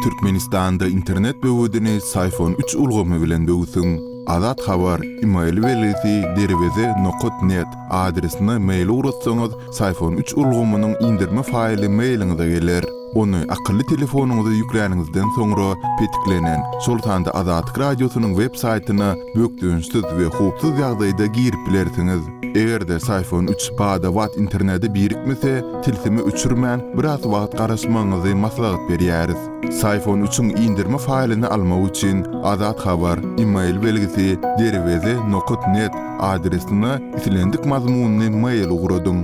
Türkmenistanda internet böwedini Syfon üç ulgamy bilen böwsüň. Azat Habar, email belgisi derweze nokat net adresine mail ugratsaňyz, Syfon üç ulgamynyň indirme faýly mailiňize geler. Ony akylly telefonyňyza ýükläniňizden soňra petiklenen, şol sanda Azatlyk Radiosynyň web saýtyna bökdençsiz we howpsuz ýagdaýda girip bilersiňiz. Eger-de Syfon üç bada-bat internete birikmese, tilsimi öçürmän, biraz wagt garaşmagyňyzy maslahat berýäris. Syfon üçiň indirme faýlyny almak üçin Azat Habar, email belgisi, derweze nokat net adresine islendik mazmunly mail ugradyň.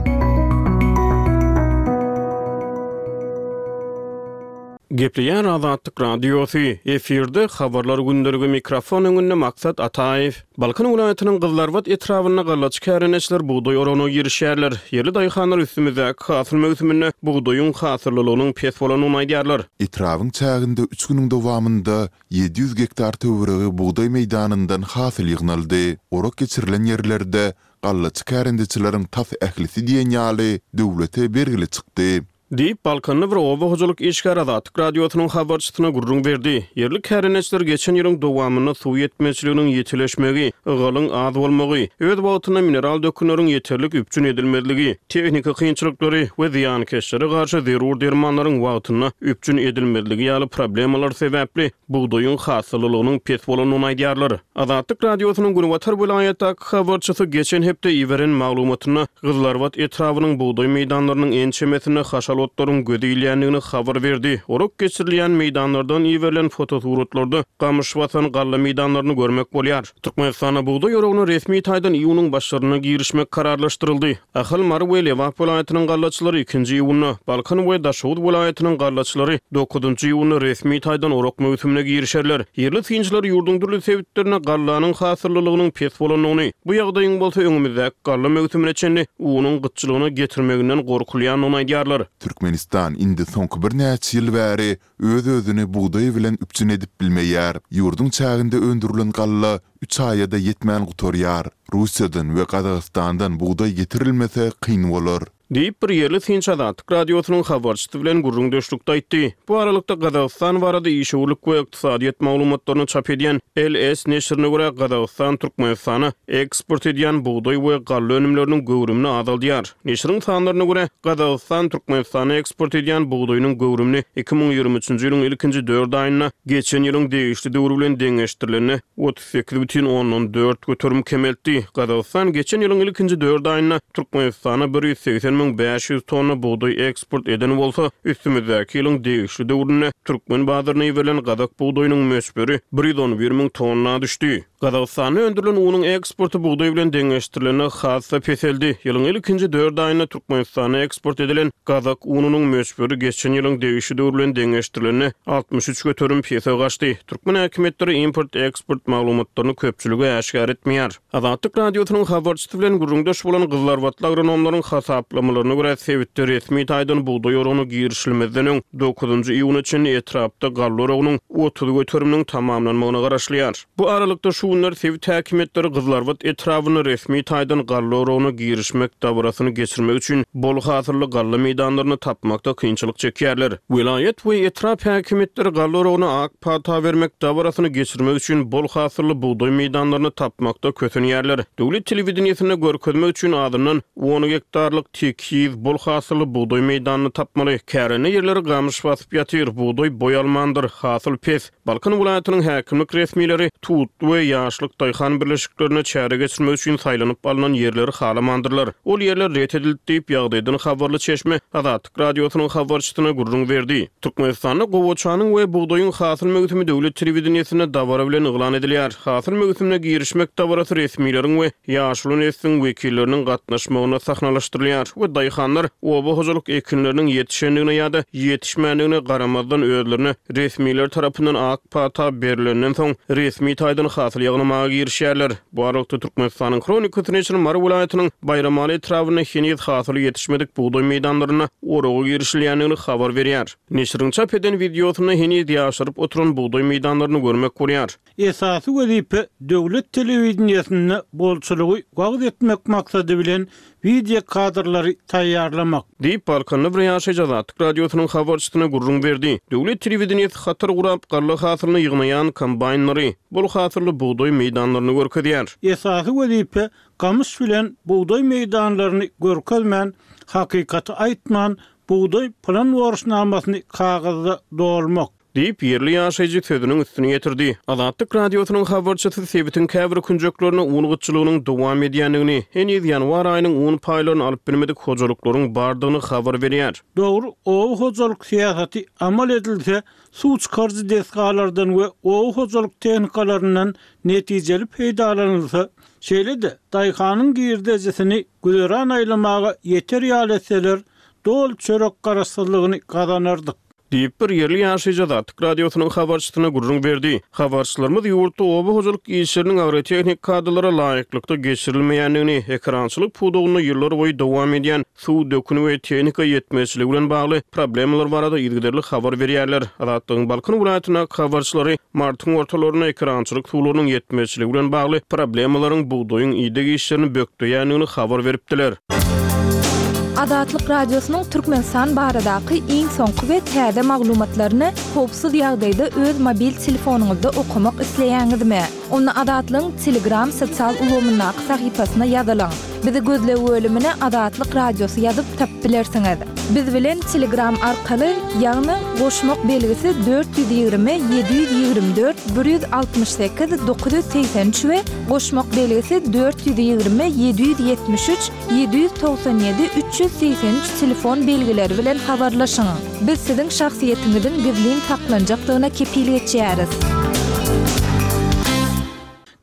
Gepleýär Azatlyk Radiosy, efirde Habarlar gündeligi mikrofon öňünde Maksat Ataýew. Balkan welaýatynyň Gyzylarbat etrabynda gallaçy kärendeçiler bugdaý oragyna girişýärler. Ýerli daýhanlar üstümizdäki hasyl möwsüminde bugdaýyň hasyllylygynyň pes bolandygyny aýdýarlar. Etrabyň çäginde üç günüň dowamynda 700 gektar töweregi bugdaý meýdanyndan hasyl ýygnaldy. Orak geçirilen ýerlerde gallaçy kärendeçileriň tas ählisi diýen ýaly döwlete bergili çykdy. Diýip, balkanly bir oba hojalyk işgäri Azatlyk Radiosynyň habarçysyna gürrüň berdi. Ýerli kärendeçiler geçen ýylyň dowamynda suw ýetmezçiliginiň ýitileşmegi, ygalyň az bolmagy, öz wagtynda mineral dökünleriň ýeterlik üpjün edilmezligi, tehniki kynçylyklary we zyýankeşlere garşy zerur dermanlaryň wagtynda üpjün edilmezligi ýaly problemalar sebäpli bugdaýyň hasyllylygynyň pes bolandygyny aýdýarlar. Azatlyk Radiosynyň günbatar welaýatdaky habarçysy geçen hepde iberen maglumatynda Gyzylarbat etrabynyň bugdaý meýdanlarynyň ençemesinde haşal otlaryň göze ilýändigini habar berdi. Orak geçirilýän meýdanlardan iberilen fotosuratlarda gamyş basan galla meýdanlaryny görmek bolýar. Türkmenistanda bugdaý oragyna resmi taýdan iýunyň başlarynda girişmek kararlaşdyryldy. Ahal, Mary we Lebap welaýatynyň gallaçylary ikinji iýunda, Balkan we Daşoguz welaýatynyň gallaçylary dokuzynjy iýunda resmi taýdan orak möwsümine girişerler. Ýerli synçylar ýurduň dürli sebitlerinde gallanyň hasyllylygynyň pes bolandygyny, bu ýagdaýyň bolsa öňümizdäki galla möwsümine çenli unuň gytçylygyna getirmeginden gorkulýandygyny aýdýarlar. Türkmenistan indi soňky birnäçe ýyl bäri öz-özüni bugdaý bilen üpjün edip bilmeýär. Ýurduň çäginde öndürilen galla üç aýa-da ýetmän gutarýar. Russiýadan we Gazagystandan bugdaý getirilmese kyn bolar. Diýip, bir ýerli synçy Azatlyk Radiosynyň habarçysy bilen gürrüňdeşlikde aýtdy. Bu aralykda, Gazagystan barada işewürlik we ykdysadyýet maglumatlaryny çap edýän LS neşirine görä, Gazagystan Türkmenistana eksport edýän bugdaý we galla önümleriniň göwrümini azaldýar. Neşiriň sanlaryna görä, Gazagystan Türkmenistana eksport edýän bugdaýynyň göwrümini 2023-nji ýylyň ilkinji dört aýynda geçen ýylyň degişli döwri bilen deňeşdirilende 38,4% kemeltdi. Gazagystan geçen ýylyň ilkinji dört aýynda Türkmenistana 180 500 tonna bugdaý eksport eden bolsa, üstümizdäki ýylyň degişli döwründe türkmen bazaryna iberilen gazak bugdaýynyň möçberi 111 müň tonna düşdi. Gazagystanda öndürilen unuň eksporty bugdaý bilen deňeşdirilende has-da peseldi. Ýylyň ilkinji dört aýynda Türkmenistana eksport edilen gazak ununyň möçberi geçen ýylyň degişli döwri bilen deňeşdirilende 63% pese gaçdy. Türkmen häkimiýetleri import-eksport maglumatlaryny köpçülige äşgär etmeýär. Azatlyk Radiosynyň habarçysy bilen gürrüňdeş bolan gyzylarbatly agronomlaryň hasaplamalaryna görä, sebitde resmi taýdan bugdaý oragyna girişilmezden öň, dokuzynjy iýuna çenli etrapda galla oragynyň 30 göteriminiň tamamlanmagyna garaşylýar. Bu aralykda, şu günler sebit häkimiýetleri Gyzylarbat etrabynda resmi taýdan galla oragyna girişmek dabarasyny geçirmek üçin bol hasylly galla meýdanlaryny tapmakda kynçylyk çekýärler. Welaýat we etrap häkimiýetleri galla oragyna ak pata bermek dabarasyny geçirmek üçin bol hasylly bugdaý meýdanlaryny tapmakda kösenýärler. Döwlet telewideniýesinde görkezmek üçin azyndan on gektarlyk tekiz, bol hasylly bugdaý meýdanyny tapmaly. Kärende ýerleri gamyş basyp ýatyr, bugdaý boý almandyr, hasyl pes. Balkan welaýatynyň häkimlik resmileri Tutly we Ýaşlyk daýhan birleşiklerinde çäre geçirmek üçin saýlanyp alnan ýerleri halamandyrlar. Ol ýerler ret edildi diýip, ýagdaýdan habarly çeşme Azatlyk Radiosynyň habarçysyna gürrüň berdi. Türkmenistanda gowaçanyň we bugdaýyň hasyl möwsümi döwlet telewideniýesinde dabara bilen yglan edilýär. Hasyl möwsümine girişmek dabarasy resmileriň we ýaşuly nesliň wekilleriniň gatnaşmagynda sahnalaşdyrylýar we daýhanlar oba hojalyk ekinleriniň ýetişendigine ýa-da ýetişmändigine garamazdan özlerine resmiler tarapyndan ak pata berlenden soň resmi taýdan hasyl. ýygnamaga girişýärler. Bu aralykda, Türkmenistanyň Hronikasy neşiri Mary welaýatynyň Baýramaly etrabynda heniz hasyly ýetişmedik bugdaý meýdanlarynda oraga girişilýändigini habar berýär. Neşiriň çap eden wideosynda heniz ýaşaryp oturan bugdaý meýdanlaryny görmek bolýar. Esasy wezipe döwlet telewideniýesinde bolçulygy wagyz etmek maksady bilen wideo kadrlary taýýarlamak. Diýip, Balkanly bir ýaşaýjy Azatlyk Radiosynyň habarçysyna gürrüň berdi. Döwlet telewideniýesi hatar gurap, galla hasylyny ýygnaýan kombaýnlary, bol hasylly bugdaý meýdanlaryny görkezýär. Esasy wezipe gamyş bilen bugdaý meýdanlaryny görkezmän, hakykaty aýtman, bugdaý plan borçnamasyny kagyzda dolmak. Diýip, ýerli ýaşaýjy sözüniň üstüni ýetirdi. Azatlyk Radiosynyň habarçysy sebitiň käbir künjeklerinde un gytçylygynyň dowam edýändigini, heniz ýanwar aýynyň un paýlaryny alyp bilmedik hojalyklaryň bardygyny habar berýär. Dogry oba hojalyk syýasaty amal edilse, suw çykaryjy desgalardan we oba hojalyk tehnikalaryndan netijeli peýdalanylsa, şeýle-de daýhanyň girdejisini güzeran aýlamaga ýeter ýaly etseler, doly çörek garaşsyzlygyny gazanardyk. Diýip, bir ýerli ýaşaýjy Azatlyk Radiosynyň habarçysyna gürrüň berdi. Habarçylarymyz ýurtda oba hojalyk işleriniň agrotehnik kadalara laýyklykda geçirilmeýändigini, ekerançylyk pudagynda ýyllarboýy dowam edýän suw, dökün we tehnika ýetmezçiligi bilen bagly problemalar barada yzygiderli habar berýärler. Azatlygyň Balkan welaýatyndaky habarçylary martyň ortalarynda ekerançylyk suwlarynyň ýetmezçiligi bilen bagly problemalaryň bugdaýyň ideg işlerini bökdeýändigini habar beripdiler. Azatlyk Radiosynyň Türkmenistan baradaky iň soňky we täze maglumatlaryny howpsuz ýagdaýda öz mobil telefonyňyzda okamak isleýäňizmi? Onda Azatlygyň Telegram sosial ulgamyndaky sahypasyna ýazylyň. Bizi gözleg bölümine Azatlyk Radiosy ýazyp tapyp bilersiňiz. Biz bilen Telegram arkaly, ýagny goşmak belgisi 420 724 168 983 we goşmak belgisi 420 773 797 383 telefon belgileri bilen habarlaşyň. Biz siziň şahsyýetiňiziň gizlin saklanjakdygyna kepil geçýäris.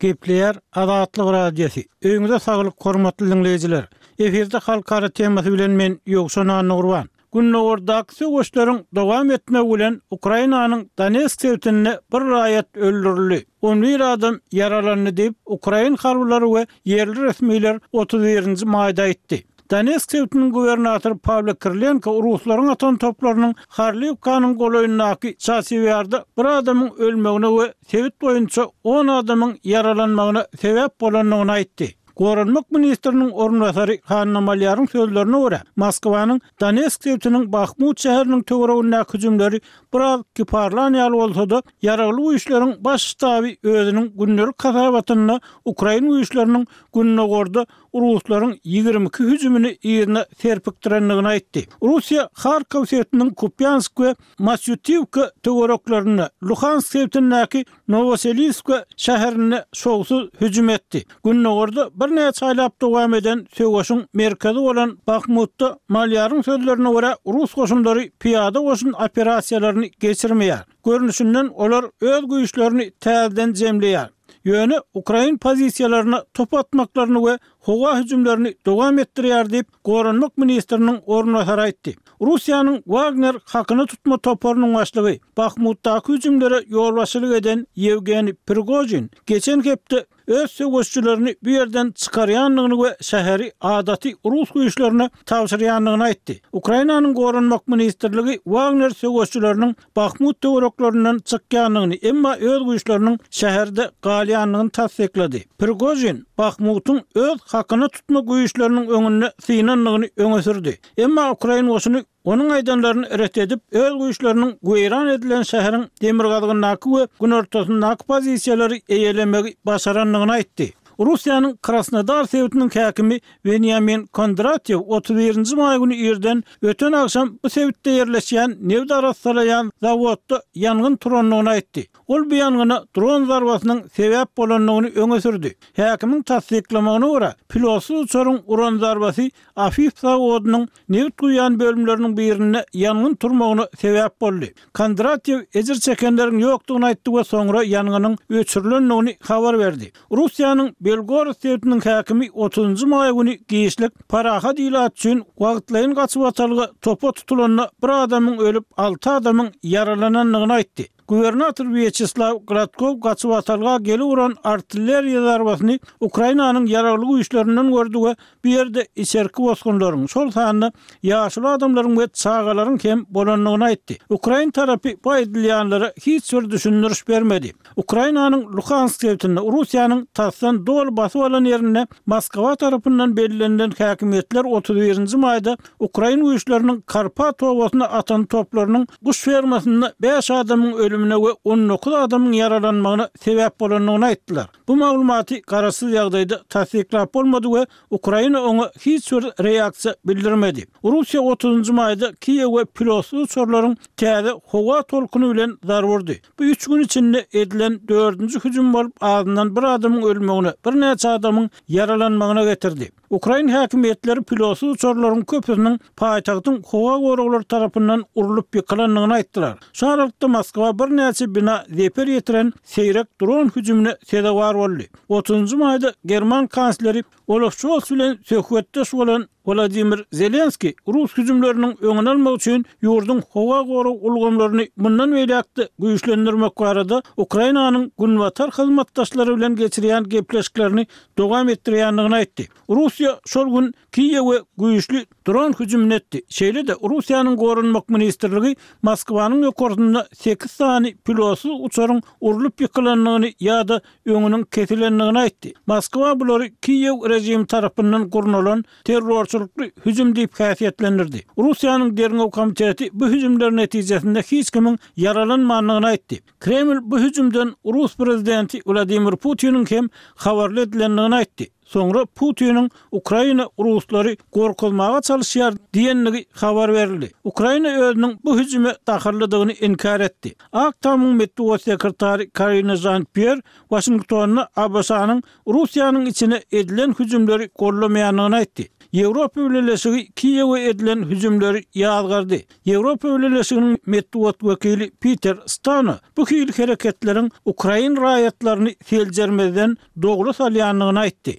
Gepleýär Azatlyk Radiosy. Öýüňize saglyk hormatly diňleýjiler. Efirde halkara temasy bilen men Ýowşan Annagurban. Gündogardaky söweşleriň dowam etmegi bilen Ukrainanyň Donetsk sebitinde bir raýat öldürildi, on bir adam ýaralandy diýip, ukrain harbylary we ýerli resmiler 31 nji maýda aýtdy. Donetsk sebitiniň gubernatory Pawlo Kirilenko ruslaryň atan toplarynyň Horliwkanyň golaýyndaky Çasiw Ýarda bir adamyň ölmegine we sebit boýunça on adamyň ýaralanmagyna sebäp bolandygyny aýtdy. Goranmak ministriniň orunbasary Hanna Malýaryň sözlerine görä, Moskwanyň Donetsk sebitiniň Bahmut şäheriniň töweregindäki hüjümleri biraz kiparlan ýaly bolsa-da, Ýaragly Güýçleriň Baş ştaby özüniň gündelik hasabatynda ukrain güýçleriniň gündogarda ruslaryň 22 hüjümini yzyna serpikdirendigini aýtdy. Russiýa Harkow sebitiniň Kupýansk we Masýutiwka töwereklerinde, Luhansk sebitindäki Nowoseliwska şäherinde şowsuz hüjüm etdi. Gündogarda birnäçe aýlap dowam eden söweşiň merkezi bolan Bahmutda, Malýaryň sözlerine görä, rus goşunlary pyýada goşun operasiýalaryny geçirmeýär. Görnüşinden, olar öz güýçlerini täzeden jemleýär. Ýöne ukrain pozisiýalaryna top atmaklaryny we howa hüjümlerini dowam etdirýär diýip, goranmak ministriniň orunbasary aýtdy. Russiýanyň Wagner hakyna tutma toparynyň başlygy, Bahmutdaky hüjümlere ýolbaşçylyk eden Ýewgeniý Prigožin geçen hepde öz söweşijilerini bu ýerden çykarýandygyny we şäheri adaty rus güýçlerine tabşyrýandygyny aýtdy. Ukrainanyň Goranmak ministrligi Wagner söweşijileriniň Bahmut töwereklerinden çykýandygyny, emma öz güýçleriniň şäherde galýandygyny tassyklady. Prigožin Bahmutyň öz hakyna tutma güýçleriniň öňünde synandygyny öňe sürdi. Emma ukrain goşuny onuň aýdanlaryny ret edip, öz güýçleriniň weýran edilen şäheriň demirgazygyndaky we günortasyndaky pozisiýalary eýelemegi başarandygyny aýtdy. Russiýanyň Krasnodar sebitiniň häkimi Weniamin Kondratýew 31 nji maý güni irden öten agşam bu sebitde ýerleşýän nebit arassalaýan zawodda ýangyn turandygyny aýtdy. Ol bu ýangyna dron zarbasynyň sebäp bolandygyny öňe sürdi. Häkimiň tassyklamagyna görä, pilotsyz uçaryň uran zarbasy Afif zawodynyň nebit guýýan bölümleriniň birinde ýangyn turmagyna sebäp boldy. Kondratýew ejir çekenleriň ýokdugyny aýtdy we soňra ýangynyň öçürilendigini habar berdi. Russiýanyň Belgorod sebitiniň häkimi otuzynjy maý güni giçlik parahat ilat üçin wagtlaýyn gaçybatalga topa tutulanda bir adamyň ölüp, alty adamyň ýaralanandygyny aýtdy. Gubernator Wýaçeslaw Gladkow gaçybatalga gelip uran artilleriýa zarbasyny Ukrainanyň Ýaragly Güýçlerinden gördi we bu ýerde içerki bosgunlaryň, şol sanda ýaşuly adamlaryň we çagalaryň hem bolandygyny aýtdy. Ukrain tarapy bu aýdylýanlara hiç bir düşündiriş bermedi. Ukrainanyň Luhansk sebitinde Russiýanyň tasdan doly basyp alan ýerinde Moskwa tarapyndan bellenilen häkimiýetler 31 nji maýda ukrain güýçleriniň Karpat obasyna atan toplarynyň guş fermasynda bäş adamyň ölümine we 19 adamyň ýaralanmagyna sebäp bolandygyny aýtdylar. Bu maglumaty garaşsyz ýagdaýda tassyklap bolmady we Ukraina oňa hiç bir reaksiýa bildirmedi. Russiýa otuzynjy maýda Kiýewe pilotsyz uçarlaryň täze howa tolkuny bilen zarba urdy. Bu üç gün içinde edilen dördünji hüjüm bolup, azyndan bir adamyň ölmegine, birnäçe adamyň ýaralanmagyna getirdi. Ukrain häkimiýetleri pilotsyz uçarlaryň köpüsiniň paýtagtyň howa goraglary tarapyndan urlup ýykylandygyny aýtdylar. Şu aralykda Moskwa birnäçe bina zeper ýetiren seýrek dron hüjümine sezewar boldy. Otuzynjy maýda german kansleri Olaf Şols bilen söhbetdeş bolan Wladimir Zelenskiý rus hüjümleriniň öňüni almak üçin ýurduň howa gorag ulgamlaryny mundan beýläk-de güýçlendirmek barada Ukrainanyň günbatar hyzmatdaşlary bilen geçirýän gepleşiklerini dowam etdirýändigini aýtdy. Russiýa şol gün Kiýewe güýçli dron hüjümini etdi. Şeýle-de, Russiýanyň Goranmak ministrligi Moskwanyň ýokarsynda sekiz sany pilotsyz uçaryň urlup ýykylandygyny ýa-da öňüniň kesilendigini aýtdy. Moskwa bulary Kiýew režimi tarapyndan gurnalan terrorçylykly hüjüm diýip häsiýetlendirdi. Russiýanyň Derňew komiteti bu hüjümler netijesinde hiç kimiň ýaralanmandygyny aýtdy. Kreml bu hüjümden rus prezidenti Wladimir Putiniň hem habarly edilendigini aýtdy. Soňra Putiniň Ukraina ruslary gorkuzmaga çalyşýar diýendigi habar berildi. Ukraina özüniň bu hüjüme dahyllydygyny inkär etdi. Ak Tamyň metbugat sekretary Karine Žan-Pýer Waşingtonda ABŞ-nyň Russiýanyň içine edilen hüjümleri goldamaýandygyny aýtdy. Ýewropa Bileleşigi Kiýewe edilen hüjümleri ýazgardy. Ýewropa Bileleşiginiň metbugat wekili Piter Stano bu hili hereketleriň ukrain raýatlaryny seljermezden dogry salýandygyny aýtdy.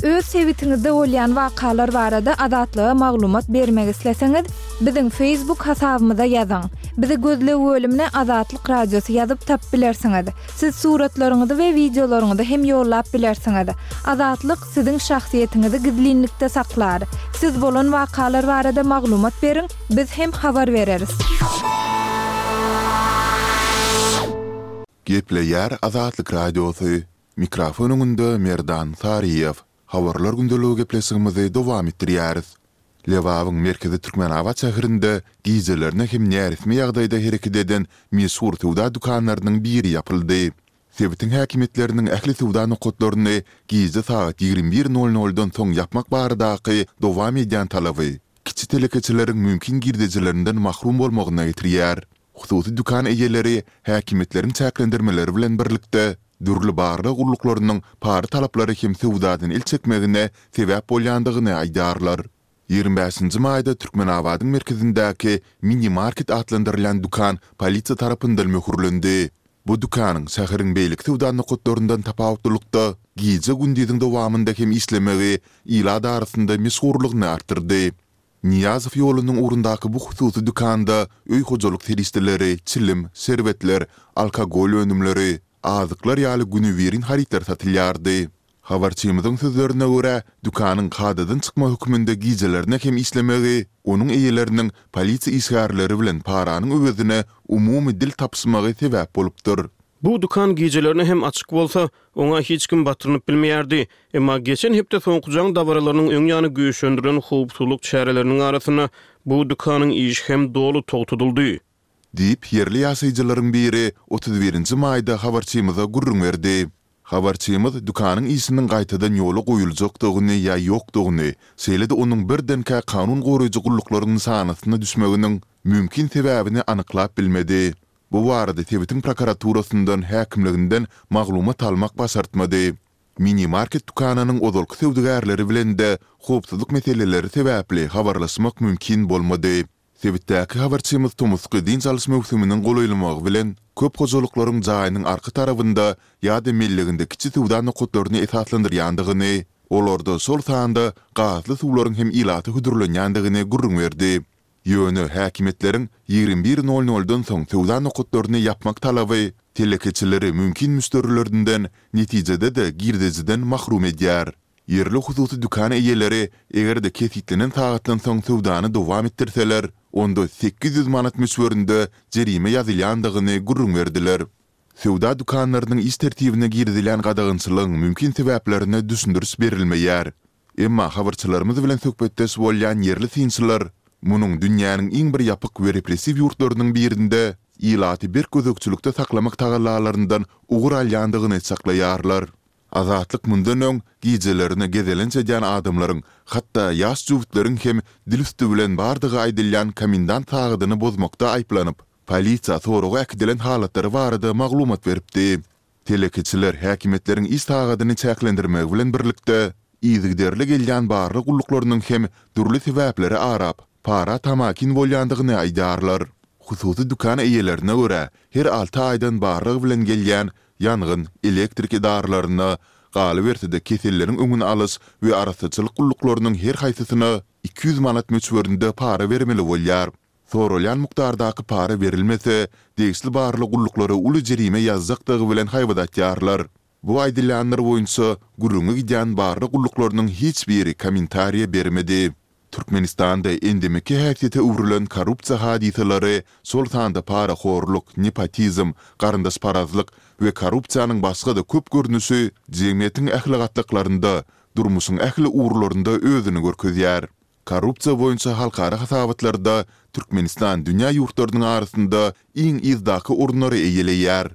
Öz sebitiňizde bolýan wakalar barada Azatlyga maglumat bermek isleseňiz, biziň Facebook hasabymyza ýazyň. Bizi gözleg bölümine Azatlyk Radiosy ýazyp tapyp bilersiňiz. Siz suratlaryňyzy we wideolaryňyzy hem ýollap bilersiňiz. Azatlyk siziň şahsyýetiňizi gizlinlikde saklar. Siz bolan wakalar barada maglumat beriň, biz hem habar bereris. Gepleýär Azatlyk Radiosy, Mikrofon öňünde Merdan Saryýew. Habarlar gündeligi gepleşigimizi dowam etdirýäris. Lebabyň merkezi Türkmenabat şäherinde gijelerine hem näresmi ýagdaýda hereket eden meşhur söwda dükanlarynyň biri ýapyldy. Sebitiň häkimiýetleriniň ähli söwda nokatlaryny gije sagat 21 nol noldan soň ýapmak baradaky dowam edýän talaby kiçi telekeçileriň mümkin girdejilerinden mahrum bolmagyna getirýär. Hususy dükan eýeleri häkimiýetleriň çäklendirmeleri bilen birlikde, dürli barlag gulluklarynyň para talaplary hem söwdadan el çekmegine sebäp bolýandygyny aýdýarlar. 25 nji maýda Türkmenabadyň merkezindäki Mini Market atlandyrylýan dükan polisiýa tarapyndan möhürlendi. Bu dükanyň şäheriň beýleki söwda nokatlaryndan tapawutlylykda, gije-gündiziň dowamynda hem işlemegi ilat arasynda meşhurlygyny artdyrdy. Nyýazow ýolunyň ugrundaky bu hususy dükanda öý hojalyk serişdeleri, çilim, şerbetler, alkogol önümleri, azyklar ýaly günübirin harytlar satylýardy. Habarçymyzyň sözlerine görä, dükanyň kadadan çykma hökmünde gijelerine hem işlemegi onuň eýeleriniň polisiýa işgärleri bilen paranyň öwezine umumy dil tapyşmagy sebäp bolupdyr. Bu dükan gijelerine hem açyk bolsa, oňa hiç kim batyrynyp bilmeýärdi. Emma geçen hepde soňky jaň dabaralarynyň öň ýany güýçlendirilen howpsuzlyk çäreleriniň arasynda bu dükanyň işi hem doly togtadyldy. Diýip, ýerli ýaşaýjylaryň biri 31 nji maýda habarçymyza gürrüň berdi. Habarçymyz dükanyň işiniň gaýtadan ýola goýuljakdygyny ýa ýokdugyny, şeýle-de onuň birdenkä kanun goraýjy gulluklaryň nyşanasyna düşmeginiň mümkin sebäbini anyklap bilmedi. Bu barada sebitiň prokuraturasyndan, häkimliginden maglumat almak başartmady. Mini-market dükanynyň ozalky söwdagärleri bilen-de howpsuzlyk meseleleri sebäpli habarlaşmak mümkin bolmady. Sebitdäki habarçymyz tomusky dynç alyş möwsüminiň golaýlamagy bilen, köp hojalyklaryň jaýynyň arka tarabynda ýa-da melleginde kiçi söwda nokatlaryny esaslandyrýandygyny, olarda şol sanda gazly suwlaryň hem ilata hödürlenýändigini gürrüň berdi. Ýöne häkimiýetleriň 21 nol-noldan soň söwda nokatlaryny ýapmak talaby telekeçileri mümkin müşderilerinden, netijede-de girdejiden mahrum edýär. Ýerli hususy dükan eýeleri eger-de kesgitlenen sagatdan soň söwdany dowam etdirseler, onda 800 manat möçberinde jerime ýazylýandygyny gürrüň berdiler. Söwda dükanlarynyň iş tertibine girizilýän gadagançylygyň mümkin sebäplerine düşündiriş berilmeýär. Emma habarçylarymyz bilen söhbetdeş bolýan ýerli synçylar munuň dünýäniň iň bir ýapyk we repressiw ýurtlarynyň birinde ilaty berk gözegçilikde saklamak tagallalaryndan ugur alýandygyny çaklaýarlar. Azatlyk mundan öň gijelerine gezelenç edýän adamlaryň, hatda ýaş jübütleriň hem dil üsti bilen bardygy aýdylýan komendant sagadyny bozmakda aýyplanyp, polisiýa soraga äkidilen halatlary barada maglumat beripdi. Telekeçiler häkimiýetleriň iş sagadyny çäklendirmegi bilen birlikde, yzygiderli gelýän barlag gulluklarynyň hem dürli sebäpleri arap, para tamakin bolýandygyny aýdýarlar. Hususy dükan eýelerine görä, her alty aýdan barlag bilen gelýän ýangyn, elektrik edaralaryna, galyberse-de keselleriň öňüni alyş we arassaçylyk gulluklarynyň her haýsysyna 200 manat möçberinde para bermeli bolýar. Soralýan mukdardaky para berilmese, degişli barlag gulluklary uly jerime ýazjakdygy bilen haýbat atýarlar. Bu aýdylýanlar boýunça gürrüňi gidýän barlag gulluklarynyň hiç biri kommentariýa bermedi. Türkmenistanda endemiki häsiýete öwrülen korrupsiýa hadysalary, şol sanda parahorluk, nepotizm, garyndaşparazlyk we korrupsiýanyň başga-da köp görnüşi jemgyýetiň ähli gatlaklarynda, durmuşyň ähli ugurlarynda özüni görkezýär. Korrupsiýa boýunça halkara hasabatlarda Türkmenistan dünýä ýurtlarynyň arasynda iň yzdaky orunlary eýeleýär.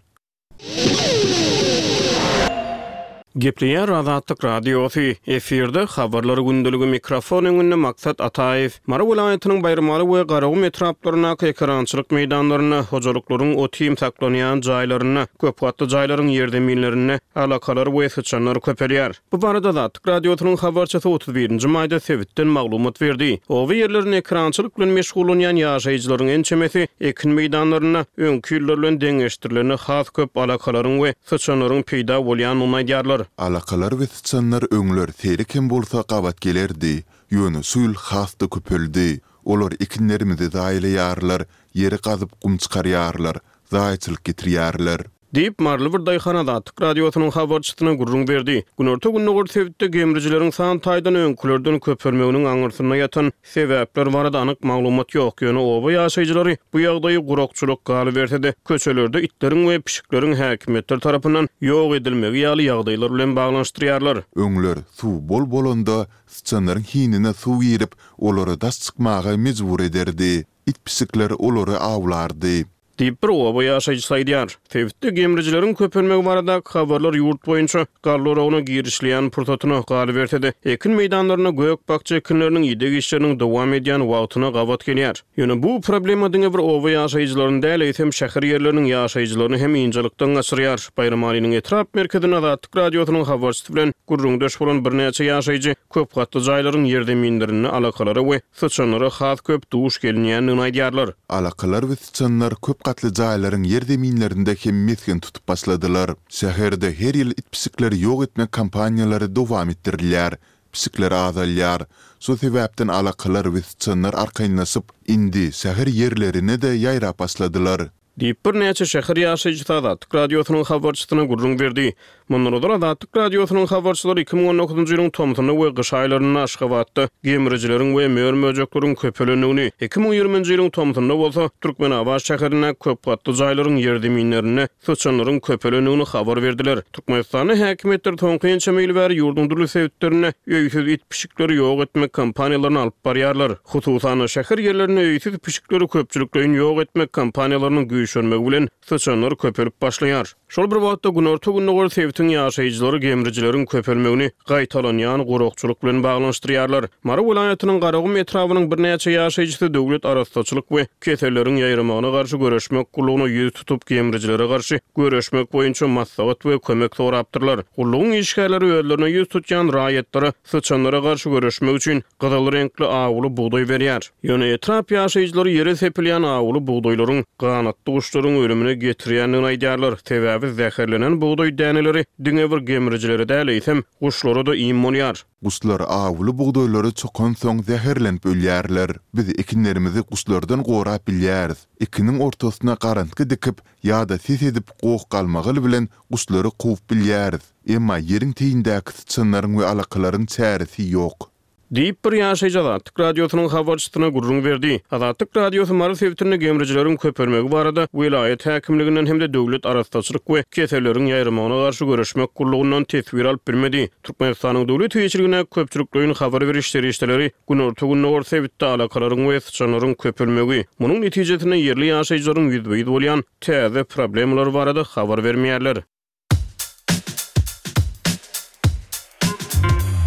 Gepleýär Azatlyk Radiosy, efirde Habarlar gündeligi mikrofon öňünde Maksat Ataýew. Mary welaýatynyň Baýramaly we Garagum etraplaryndaky ekerançylyk meýdanlarynda, hojalyklaryň ot-iým saklanýan jaýlarynda, köpgatly jaýlaryň ýerzeminlerinde alakalar we syçanlar köpelýär. Bu barada Azatlyk Radiosynyň habarçysy 31-nji maýda sebitden maglumat berdi. Oba ýerlerinde ekerançylyk bilen meşgullanýan ýaşaýjylaryň ençemesi ekin meýdanlarynda öňki ýyllar bilen deňeşdirilende has köp alakalaryň we syçanlaryň peýda bolýandygyny aýdýarlar. Alakalar we syçanlar öňler seýrek hem bolsa gabat gelerdi, ýöne şu ýyl has-da köpeldi. Olar ekinlerimizi zaýalaýarlar, ýeri gazyp gum çykarýarlar, zaýaçylyk getirýärler. Diýip, maryly bir daýhan Azatlyk Radiosynyň habarçysyna gürrüň berdi. Günorta-gündogar sebitde gemrijileriň san taýdan öňkülerden köpelmeginiň aňyrsynda ýatan sebäpler barada anyk maglumat ýok, ýöne oba ýaşaýjylary bu ýagdaýy gurakçylyk, galyberse-de, köçelerde itleriň we pişikleriň häkimiýetler tarapyndan ýok edilmegi ýaly ýagdaýlar bilen baglanyşdyrýarlar. Öňler suw bol bolanda, syçanlaryň hinine suw girip, olary daş çykmaga mejbur ederdi. It-pişikler olary awlardy. Diýip, bir oba ýaşaýjysy aýdýar. Sebitde gemrijileriň köpelmegi baradaky habarlar ýurt boýunça galla oragyna girişilýän pursatyna, galyberse-de, ekin meýdanlarynda gök-bakja ekinleriniň ideg işleriniň dowam edýän wagtyna gabat gelýär. Ýöne bu problema diňe bir oba ýaşaýjylaryny däl, eýsem, şäher ýerleriniň ýaşaýjylaryny hem ynjalykdan gaçyrýar. Baýramalynyň etrap merkezinde Azatlyk Radiosynyň habarçysy bilen gürrüňdeş bolan birnäçe ýaşaýjy köp gatly jaýlaryň ýerzeminlerinde alakalara we syçanlara has köp duş gelinýändigini aýdýarlar. Alakalar we syçanlar köp gatly jaýlaryň ýerzeminlerinde hem mesgen tutup başladylar. Şäherde her ýyl it-pişikleri ýok etmek kampaniýalary dowam etdirilýär, pişikler azalýar. Şo sebäpden alakalar we syçanlar arkaýynlaşyp, indi şäher ýerlerine-de ýaýrap başladylar. Diýip, birnäçe şäher ýaşaýjysy Azatlyk Radiosynyň habarçysyna gürrüň berdi. Mundan ozal Azatlyk Radiosynyň habarçylary 2019-njy ýylyň tomsunda we gyş aýlarynda Aşgabatda gemrijileriň we mör-möjekleriň köpelendigini, 2020-nji ýylyň tomsunda bolsa Türkmenabat şäherindäki köp gatly jaýlaryň ýerzeminlerinde syçanlaryň köpelendigini habar berdiler. Türkmenistanda häkimiýetler soňky ençeme ýyl bäri ýurduň dürli sebitlerinde öýsüz it-pişikleri ýok etmek kampaniýalaryny alyp barýarlar. Hususan-da, şäher ýerlerinde öýsüz pişikleri köpçülikleýin ýok etmek kampaniýalarynyň güýçlenmegi bilen syçanlar köpelip başlaýar. Şol bir wagtda, günorta-gündogar sebitiň ýaşaýjylary gemrijileriň köpelmegini gaýtalanýan gurakçylyk bilen baglanyşdyrýarlar. Mary welaýatynyň Garagum etrabynyň birnäçe ýaşaýjysy döwlet arassaçylyk we keselleriň ýaýramagyna garşy göreşmek gullugyna ýüz tutup, gemrijilere garşy göreşmek boýunça maslahat we kömek sorapdyrlar. Gullugyň işgärleri özlerine ýüz tutýan raýatlara syçanlara garşy göreşmek üçin gyzyl reňkli awuly bugdaý berýär. Ýöne etrap ýaşaýjylary ýere sepilýän awuly bugdaýlaryň ganatly guşlaryň ölümine getirýändigini aýdýarlar. Sebäbi. Sebäbi zäherlenen bugdaý däneleri diňe bir gemrijilere däl, eýsem, guşlara-da iým bolýar. Guşlar awuly bugdaýlary çokansoň zäherlenip ölýärler. Biz ekinlerimizi guşlardan gorap bilýäris. Ekiniň ortasyna garantgy dikip ýa-da ses edip goh-galmagal bilen guşlary kowup bilýäris. Emma ýeriň teýindäki syçanlaryň we alakalaryň çäresi ýok. Diýip, bir ýaşaýjy Azatlyk Radiosynyň habarçysyna gürrüň berdi. Azatlyk Radiosy Mary sebitinde gemrijileriň köpelmegi barada welaýat häkimliginden hem-de Döwlet arassaçylyk we keselleriň ýaýramagyna garşy göreşmek gullugyndan teswir alyp bilmedi. Türkmenistanyň döwlet eýeçiligindäki köpçülikleýin habar beriş serişdeleri günorta-gündogar sebitde alakalaryň we syçanlaryň köpelmegi, munuň netijesinde ýerli ýaşaýjylaryň ýüzbe-ýüz bolýan täze problemalary barada habar bermeýärler.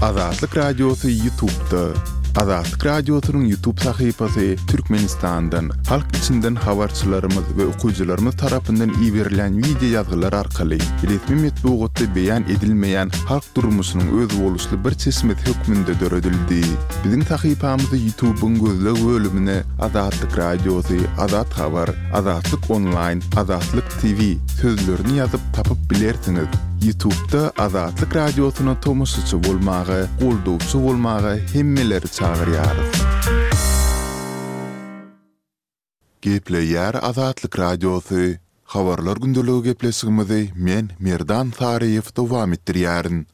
Azatlyk Radiosy YouTube'da. Azatlyk Radiosynyň YouTube sahypasy Türkmenistandan, halk içinden habarçylarymyz we okyjylarymyz tarapyndan iberilýän wideo ýazgylar arkaly resmi metbugatda beýan edilmeýän halk durmuşynyň özboluşly bir çeşmesi hökmünde döredildi. Biziň sahypamyzy YouTube-yň gözleg bölümine Azatlyk Radiosy, Azat Habar, Azatlyk Onlaýn, Azatlyk TV sözlerini ýazyp tapyp bilersiňiz. Ýutubda Azatlyk Radiosyna tomaşaçy bolmaga, goldawçy bolmaga hemmeleri çagyrýarys. Gepleýär Azatlyk Radiosy, Habarlar gündeligi gepleşigimizi men, Merdan Saryýew dowam etdirýärin.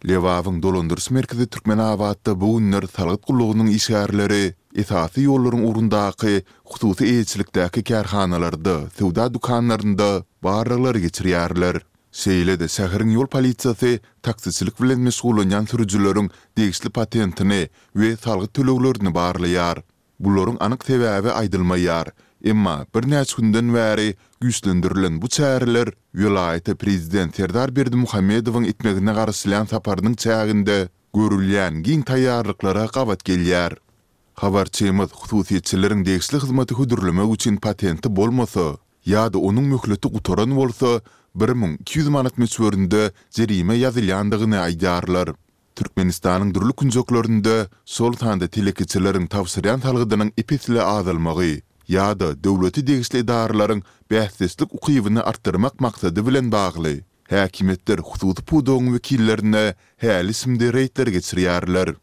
Lebabyň dolandyryş merkezi Türkmenabatda bu günler salgyt gullugynyň işgärleri esasy ýollaryň ugrundaky hususy eýeçilikdäki kärhanalarda, söwda dükanlarynda barlaglary geçirýärler. Şeýle-de şäheriň ýol polisiýasy taksiçilik bilen meşgullanýan sürüjileriň degişli patentini we salgyt töleglerini barlaýar. Bularyň anyk sebäbi aýdylmaýar. Emma birnäçe günden bäri güýçlendirilen bu çäreler welaýata prezident Serdar Berdimuhamedowyň etmegine garaşylýan saparynyň çäginde görülýän giň taýýarlyklara gabat gelýär. Habarçymyz hususyýetçileriň degişli hyzmaty hödürlemek üçin patenti bolmasa ýa-da onuň möhleti gutaran bolsa, 1200 manat möçberinde jerime ýazylýandygyny aýdýarlar. Türkmenistanyň dürli künjeklerinde, şol sanda telekeçileriň tabşyrýan salgydynyň ep-esli azalmagy ýa-da döwlete degişli edaralaryň bäsdeşlik ukybyny artdyrmak maksady bilen bagly, häkimiýetler hususy pudagyň wekillerine häli-şindi reýdler geçirýärler.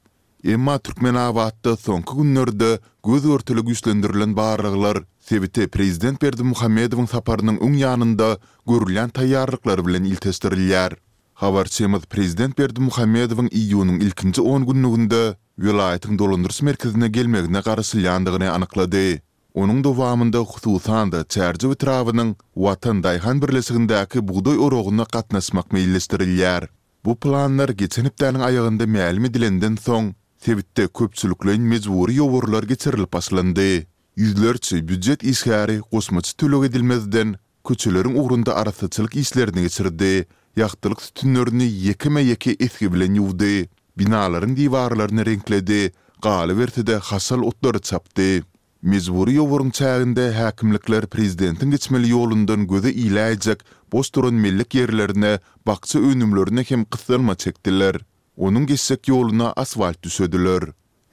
Emma Türkmenabatda soňky günlerde göz-görtele güýçlendirilen barlaglar sebite prezident Berdimuhamedowyň saparynyň öň ýanynda görülýän taýýarlyklar bilen ilteşdirilýär. Habarçymyz prezident Berdimuhamedowyň iýunyň ilkinji on günlüginde welaýatyň dolandyryş merkezine gelmegine garaşylýandygyny anyklady. Onuň dowamynda hususan-da Çärjew etrabynyň Watan daýhan birleşigindäki bugdaý oragyna gatnaşmak meýilleşdirilýär. Bu planlar geçen hepdäniň aýagynda mälim edilenden soň, sebitde köpçülikleýin mejbury ýowarlar geçirilip başlandy. Ýüzlerçe býujet işgäri goşmaça töleg edilmezden, köçeleriň ugrunda arassaçylyk işlerini geçirdi, ýagtylyk sütünlerini ýekeme-ýeke esgi bilen ýuwdy, binalaryň diwarlaryny reňkledi, galyberse-de haşal otlary çapdy. Mejbury ýowaryň çäginde häkimlikler prezidentiň geçmeli ýolundan göze iläýjek boş duran mellek ýerlerine bakja önümlerine hem gyssanma çekdiler. Onuň geçjek ýoluna asfalt düşediler.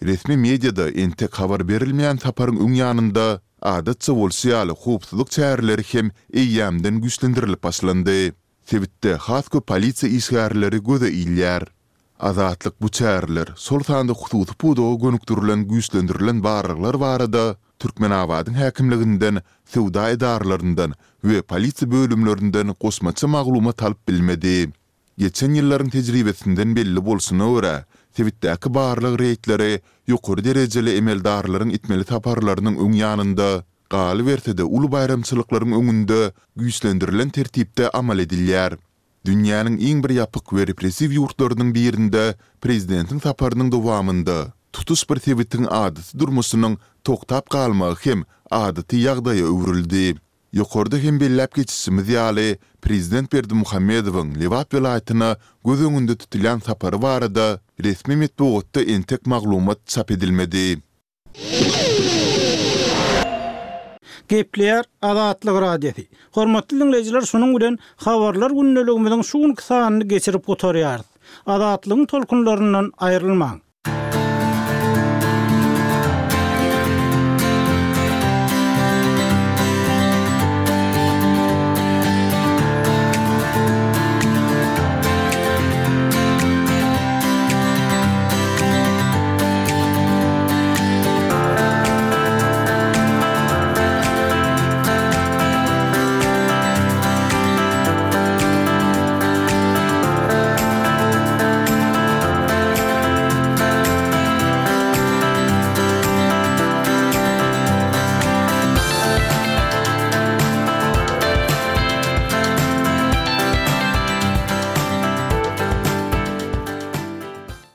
Resmi mediada entek habar berilmeýän saparyň öň ýanynda, adatça bolşy ýaly howpsuzlyk çäreleri hem eýýämden güýçlendirilip başlandy. Sebitde has köp polisiýa işgärleri göze ilýär. Azatlyk bu çäreler, şol sanda hususy pudaga gönükdirilen güýçlendirilen barlaglar barada Türkmenabadyň häkimliginden, söwda edaralaryndan we polisiýa bölümlerinden goşmaça maglumat alyp bilmedi. Geçen ýyllaryň tejribesinden belli bolşuna görä, sebitdäki barlag reýdleri ýokary derejeli emeldarlaryň etmeli saparlarynyň öň ýanynda, galyberse-de uly baýramçylyklaryň öňünde güýçlendirilen tertipde amal edilýär. Dünýäniň iň bir ýapyk we repressiw ýurtlarynyň birinde prezidentiň saparynyň dowamynda tutuş bir sebitiň adaty durmuşynyň togtap galmagy hem adaty ýagdaýa öwrüldi. Ýokarda hem belläp geçişimiz ýaly, prezident Berdimuhamedowyň Lebap welaýatyna göz öňünde tutulýan sapary barada resmi metbugatda entek maglumat çap edilmedi. Gepleýär Azatlyk Radiosy. Hormatly diňleýjiler şunuň bilen Habarlar gündeligimiziň şu günki sanyny geçirip gutarýarys. Azatlygyň tolkunlaryndan aýrylmaň.